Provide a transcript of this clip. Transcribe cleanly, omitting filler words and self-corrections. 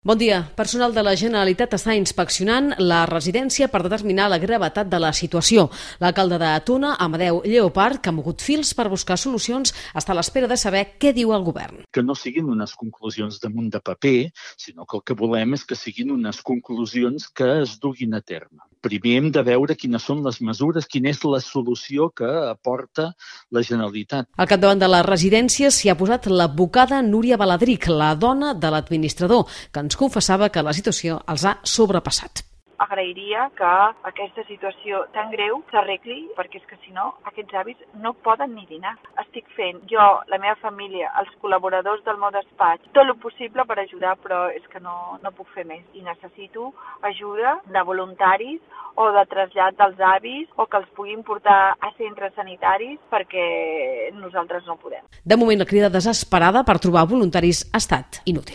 Bon dia. Personal de la Generalitat està inspeccionant la residència per determinar la gravetat de la situació. L'alcalde de Tona, Amadeu Lleopard, que ha mogut fils per buscar solucions, està a l'espera de saber què diu el govern. Que no siguin unes conclusions damunt de paper, sinó que el que volem és que siguin unes conclusions que es duguin a terme. Primer hem de veure quines són les mesures, quina és la solució que aporta la Generalitat. Al capdavant de la residència s'hi ha posat l'advocada Núria Baladric, la dona de l'administrador, que ens confessava que la situació els ha sobrepassat. Agrairia que aquesta situació tan greu s'arregli, perquè és que si no, aquests avis no poden ni dinar. Estic fent jo, la meva família, els col·laboradors del meu despatx, tot el possible per ajudar, però és que no puc fer més. I necessito ajuda de voluntaris o de trasllat dels avis o que els puguin portar a centres sanitaris perquè nosaltres no podem. De moment, la crida desesperada per trobar voluntaris ha estat inútil.